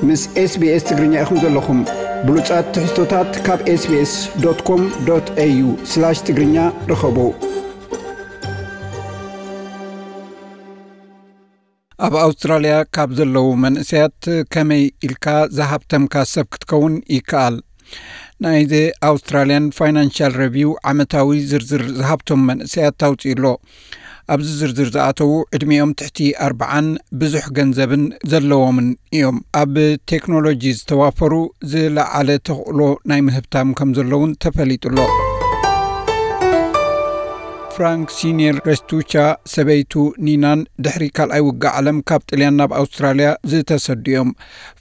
ምስ SBS ትግርኛ ኢኹም ዘለኹም። ብሉጻት ትሕዝቶታት ካብ SBS.com.au/ትግርኛ ርኸቡ። ኣብ ኣውስትራልያ ካብ ዘለዉ መንእሰያት ከመይ ኢልካ ዝሃብተምካ ሰብ ክትከውን ይከኣል? ናይ The Australian Financial Review ዓመታዊ ዝርዝር ዝሃብቶም መንእሰያት ኣውጺኡ ኣሎ። ኣብዚ ዝርዝር ዝኣተዉ ዕድሚኦም ትሕቲ ኣርብዓን ብዙሕ ገንዘብን ዘለዎምን እዮም። ኣብ ቴክኖሎጂ ዝተዋፈሩ ዝለዓለ ተኽእሎ ናይ ምህብታም ከም ዘለውን ተፈሊጡ ኣሎ። ፍራንክ ሲኒየር ረስቱቻ ሰበይቱ ኒናን ድሕሪ ካልኣይ ውግእ ዓለም ካብ ጥልያን ናብ ኣውስትራልያ ዝተሰዱ እዮም።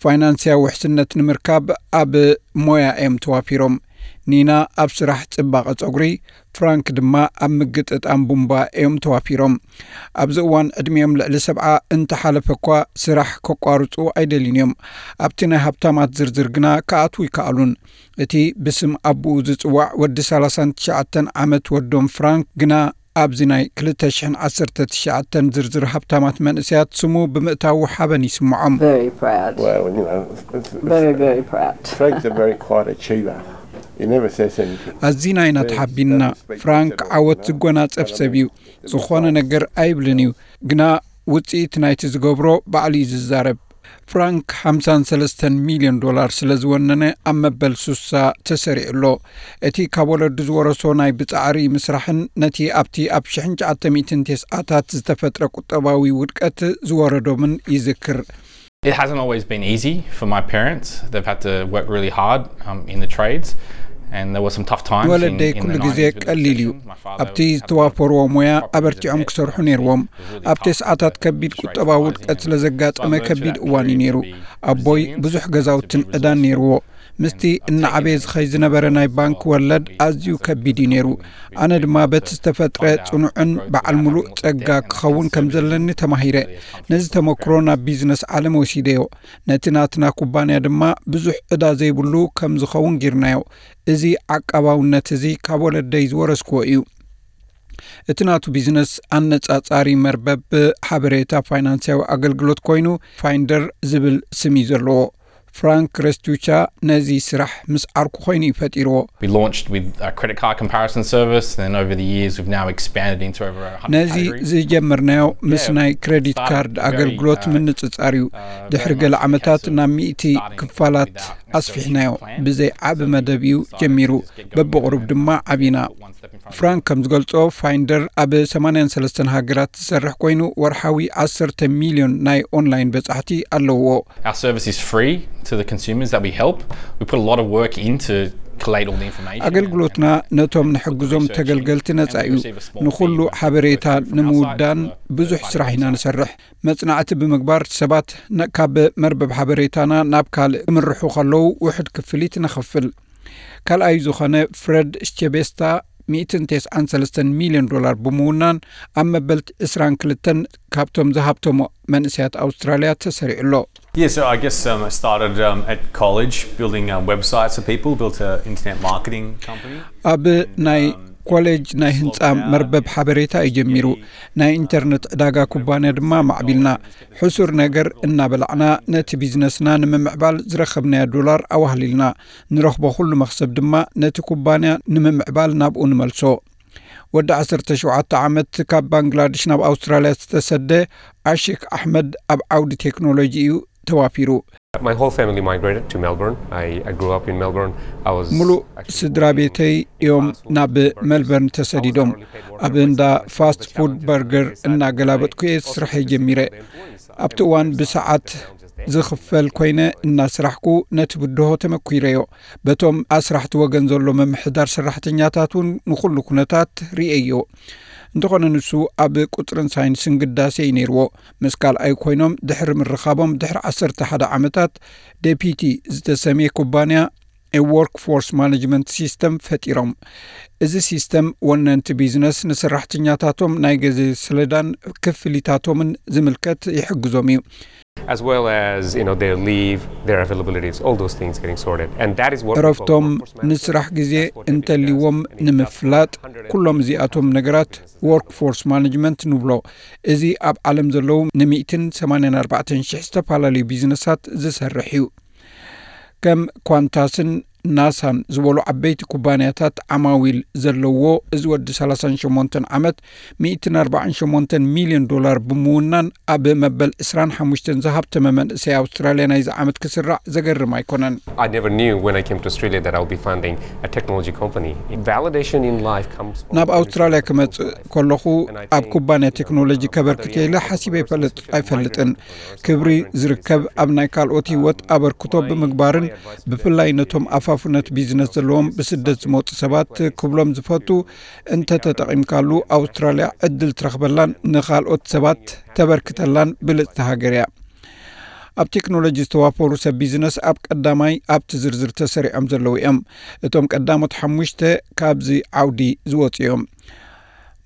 ፋይናንስያዊ ውሕስነት ንምርካብ ኣብ ሞያ እዮም ተዋፊሮም። ኒና ኣብ ስራሕ ጽባቐ ጸጉሪ፣ ፍራንክ ድማ ኣብ ምግጥጣም ቡምባ እዮም ተዋፊሮም። ኣብዚ እዋን ዕድሚኦም ልዕሊ ሰብዓ እንተሓለፈ እኳ ስራሕ ከቋርጹ ኣይደልዩን እዮም። ኣብቲ ናይ ሃብታማት ዝርዝር ግና ክኣትዉ ይከኣሉን። እቲ ብስም ኣቦኡ ዝጽዋዕ ወዲ ሰላሳን ትሽዓተን ዓመት ወዶም ፍራንክ ግና ኣብዚ ናይ ክልተ ሽሕን ዓሰርተ ትሽዓተን ዝርዝር ሃብታማት መንእሰያት ስሙ ብምእታዉ ሓበን ይስምዖም። Very proud. Well, you know, it's- it's- Very, very proud. Frank's a very quiet achiever. He never says anything. ኣዚና ኢና ተሓቢንና። ፍራንክ ዓወት ዝጎናጸፍ ሰብ እዩ። ዝኾነ ነገር ኣይብልን እዩ፣ ግና ውጽኢት ናይቲ ዝገብሮ ባዕሉ እዩ ዝዛረብ። ፍራንክ ሓምሳን ሰለስተን ሚልዮን ዶላር ስለ ዝወነነ ኣብ መበል ሱሳ ተሰሪዑ ኣሎ። እቲ ካብ ወለዱ ዝወረሶ ናይ ብጻዕሪ ምስራሕን ነቲ ኣብቲ ኣብ ሽሕን ትሽዓተ ሚእትን ተስዓታት ዝተፈጥረ ቁጠባዊ ውድቀት ዝወረዶምን ይዝክር። It hasn't always been easy for my parents. They've had to work really hard um, in the trades, and there were some tough times. ወለደይ ኩሉ ግዜ ቀሊል እዩ። ኣብቲ ዝተዋፈርዎ ሞያ ኣበርቲዖም ክሰርሑ ነይርዎም። ኣብ ተስዓታት ከቢድ ቁጠባዊ ውድቀት ስለ ዘጋጠመ ከቢድ እዋን እዩ ነይሩ። ኣቦይ ብዙሕ ገዛውትን ዕዳን ነይርዎ። ምስቲ እናዓበየ ዝኸይ ዝነበረ ናይ ባንክ ወለድ ኣዝዩ ከቢድ እዩ ነይሩ። ኣነ ድማ በቲ ዝተፈጥረ ጽኑዕን በዓል ምሉእ ጸጋ ክኸውን ከም ዘለኒ ተማሂረ። ነዚ ተመክሮ ናብ ቢዝነስ ዓለም ወሲደዮ። ነቲ ናትና ኩባንያ ድማ ብዙሕ ዕዳ ዘይብሉ ከም ዝኸውን ጌርናዮ። እዚ ዓቃባውነት እዚ ካብ ወለደይ ዝወረስክዎ እዩ። እቲ ናቱ ቢዝነስ ኣነጻጻሪ መርበብ ሓበሬታ ፋይናንስያዊ ኣገልግሎት ኮይኑ ፋይንደር ዝብል ስም እዩ ዘለዎ። ፍራንክ ረስቱቻ ነዚ ስራሕ ምስ ዓርኩ ኮይኑ እዩ ፈጢርዎ። We launched with a credit card comparison service, and then over the years we've now expanded into over a hundred ነዚ categories. ዝጀመርናዮ ምስ ናይ ክሬዲት ካርድ ኣገልግሎት ምንጽጻር እዩ። ድሕሪ ገለ ዓመታት ናብ ሚእቲ ክፋላት ኣስፊሕናዮ። ብዘይ ዓቢ መደብ እዩ ጀሚሩ። በብቕሩብ ድማ ዓቢና። ፍራንክ ከም ዝገልጾ ፋይንደር ኣብ ሰማንያን ሰለስተን ሃገራት ዝሰርሕ ኮይኑ ወርሓዊ ዓሰርተ ሚልዮን ናይ ኦንላይን በጻሕቲ ኣለውዎ። Our service is free to the consumers that we help. We put a lot of work in to collate all the information. ኣገልግሎትና ነቶም ንሕግዞም ተገልገልቲ ነጻ እዩ። ንኹሉ ሓበሬታ ንምውዳን ብዙሕ ስራሕ ኢና ንሰርሕ። መጽናዕቲ ብምግባር ሰባት ነ- ካብ መርበብ ሓበሬታና ናብ ካልእ ክምርሑ ከለዉ ውሑድ ክፍሊት ነኸፍል። ካልኣይ ዝኾነ ፍረድ ሽቸቤስታ ሚእትን ተስዓን ሰለስተን ሚልዮን ዶላር ብምውናን ኣብ መበል ዕስራን ክልተን ካብቶም ዝሃብተሞ መንእሰያት ኣውስትራልያ ተሰሪዑ ኣሎ። Yeah, so I guess um, I started um, at college building um, websites for people, built an internet marketing company. ኣብ ናይ ኮሌጅ ናይ ህንፃ መርበብ ሓበሬታ እዩ ጀሚሩ። ናይ ኢንተርነት ዕዳጋ ኩባንያ ድማ ማዕቢልና። ሕሱር ነገር እናበላዕና ነቲ ቢዝነስና ንምምዕባል ዝረኸብናዮ ዶላር ኣዋህሊልና። ንረኽቦ ኩሉ መኽሰብ ድማ ነቲ ኩባንያ ንምምዕባል ናብኡ ንመልሶ። ወዲ ዓሰርተ ሸውዓተ ዓመት ካብ ባንግላድሽ ናብ ኣውስትራልያ ዝተሰደ ዓሺክ ኣሕመድ ኣብ ዓውዲ ቴክኖሎጂ እዩ ተዋፊሩ። My whole family migrated to Melbourne. I, I grew up in Melbourne. I was ሙሉእ ስድራ ቤተይ እዮም ናብ መልበርን ተሰዲዶም። ኣብ እንዳ ፋስት ፉድ በርገር እናገላበጥኩ እየ ስርሐይ ጀሚረ። ኣብቲ እዋን ብሰዓት ዝኽፈል ኮይነ እናስራሕኩ ነቲ ብድሆ ተመኲረዮ። በቶም ኣስራሕቲ ወገን ዘሎ ምምሕዳር ሰራሕተኛታት እውን ንኹሉ ኩነታት ርእየዮ። እንተኾነ ንሱ ኣብ ቁጽርን ሳይንስን ግዳሴ እዩ ነይርዎ። ምስ ካልኣይ ኮይኖም ድሕሪ ምርኻቦም ድሕሪ ዓሰርተ ሓደ ዓመታት ዴፒቲ ዝተሰምየ ኩባንያ ወርክ ፎርስ ማኔጅመንት ሲስተም ፈጢሮም። እዚ ሲስተም ወነንቲ ቢዝነስ ንሰራሕተኛታቶም ናይ ግዜ ሰሌዳን ክፍሊታቶምን ዝምልከት ይሕግዞም እዩ። as well as you know their leave, their availabilities, all those things getting sorted, and that is what we call እረፍቶም workforce management. ንስራሕ ግዜ እንተልዎም ንምፍላጥ ኩሎም እዚኣቶም ነገራት ወርክፎርስ ማኔጅመንት ንብሎ። እዚ ኣብ ዓለም ዘለዉ ን184,000 ዝተፈላለዩ ቢዝነሳት ዝሰርሕ እዩ። ከም ኳንታስን ናሳን ዝበሉ ዓበይቲ ኩባንያታት ዓማዊል ዘለዎ፣ እዚ ወዲ 38 ዓመት 148 ሚልዮን ዶላር ብምውናን ኣብ መበል 25 ዝሃብተመ መንእሰይ ኣውስትራልያ ናይዚ ዓመት ክስራዕ ዘገርም ኣይኮነን። I never knew when I came to Australia that I'll be founding a technology company. Validation in life comes from ናብ ኣውስትራልያ ክመጽእ ከለኹ ኣብ ኩባንያ ቴክኖሎጂ ከበርክት ኢለ ሓሲበ ይፈልጥ ኣይፈልጥን። ክብሪ ዝርከብ ኣብ ናይ ካልኦት ህይወት ኣበርክቶ ብምግባርን ብፍላይ ነቶም ኣፋፉነት ቢዝነስ ዘለዎም ብስደት ዝመፁ ሰባት ክብሎም ዝፈቱ፣ እንተተጠቒምካሉ ኣውስትራልያ ዕድል ትረኽበላን ንኻልኦት ሰባት ተበርክተላን ብልፅቲ ሃገር እያ። ኣብ ቴክኖሎጂ ዝተዋፈሩ ሰብ ቢዝነስ ኣብ ቀዳማይ ኣብቲ ዝርዝር ተሰሪዖም ዘለዉ እዮም። እቶም ቀዳሞት ሓሙሽተ ካብዚ ዓውዲ ዝወፁ እዮም።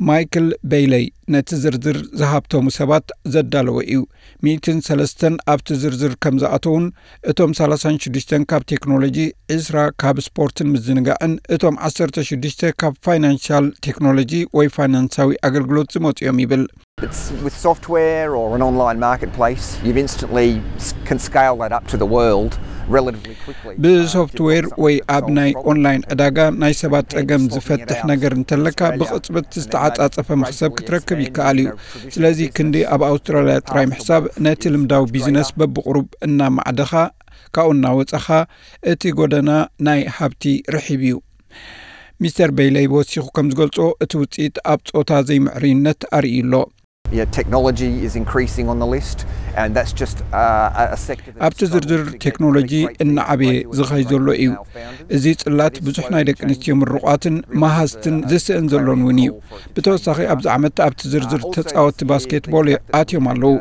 ማይክል ቤይለይ ነቲ ዝርዝር ዝሃብተሙ ሰባት ዘዳለወ እዩ። ሚእትን ሰለስተን ኣብቲ ዝርዝር ከም ዝኣተዉን እቶም 36 ካብ ቴክኖሎጂ፣ 20 ካብ ስፖርትን ምዝንጋዕን፣ እቶም 16 ካብ ፋይናንሻል ቴክኖሎጂ ወይ ፋይናንሳዊ ኣገልግሎት ዝመፁ እዮም ይብል። It's with software or an online marketplace, you've instantly s- can scale that up to the world relatively quickly. ብሶፍትዌር ወይ ኣብ ናይ ኦንላይን ዕዳጋ ናይ ሰባት ጸገም ዝፈትሕ ነገር እንተለካ ብቕጽበት ዝተዓጻጸፈ መኽሰብ ክትረክብ ይከኣል እዩ። ስለዚ ክንዲ ኣብ ኣውስትራልያ ጥራይ ምሕሳብ ነቲ ልምዳዊ ቢዝነስ በብቕሩብ እናማዕደኻ ካብኡ እናወጸኻ እቲ ጎደና ናይ ሃብቲ ርሒብ እዩ። ሚስተር ቤይለይ ወሲኹ ከም ዝገልጾ እቲ ውጽኢት ኣብ ጾታ ዘይምዕርይነት ኣርእዩ ኣሎ። Yeah, technology is increasing on the list, and that's just uh, a- a sector that's ኣብቲ ዝርዝር ቴክኖሎጂ እናዓበየ ዝኸይ ዘሎ እዩ። እዚ ጽላት ብዙሕ ናይ ደቂ ኣንስትዮ ምርቋትን መሃዝትን ዝስእን ዘሎን እውን እዩ። ብተወሳኺ ኣብዚ ዓመት ኣብቲ ዝርዝር ተጻወትቲ ባስኬትቦል ኣትዮም ኣለዉ።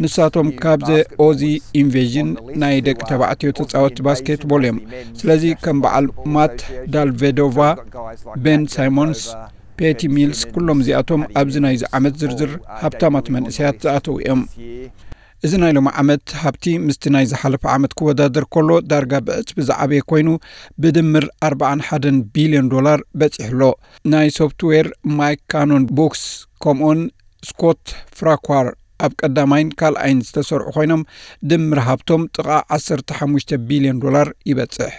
ንሳቶም ካብዚ ኦዚ ኢንቬዥን ናይ ደቂ ተባዕትዮ ተጻወትቲ ባስኬትቦል እዮም። ስለዚ ከም በዓል ማት ዳልቬዶቫ፣ ቤን ሳይሞንስ፣ ፔቲ ሚልስ፣ ኩሎም እዚኣቶም ኣብዚ ናይዚ ዓመት ዝርዝር ሃብታማት መንእሰያት ዝኣተዉ እዮም። እዚ ናይ ሎም ዓመት ሃብቲ ምስቲ ናይ ዝሓለፈ ዓመት ክወዳደር ከሎ ዳርጋ ብዕጽፊ ዝዓበየ ኮይኑ ብድምር 41 ቢልዮን ዶላር በጺሑ ኣሎ። ናይ ሶፍትዌር ማይክ ካኖን ቦክስ ከምኡን ስኮት ፍራኳር ኣብ ቀዳማይን ካልኣይን ዝተሰርዑ ኮይኖም ድምር ሃብቶም ጥቓ 15 ቢልዮን ዶላር ይበጽሕ።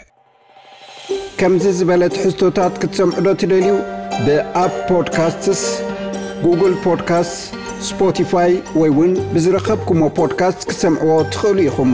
ከምዚ ዝበለ ትሕዝቶታት ክትሰምዑ ዶ ትደልዩ? ብኣፕ ፖድካስትስ፣ ጉግል ፖድካስት፣ ስፖቲፋይ ወይ እውን ብዝረኸብኩሞ ፖድካስት ክትሰምዕዎ ትኽእሉ ኢኹም።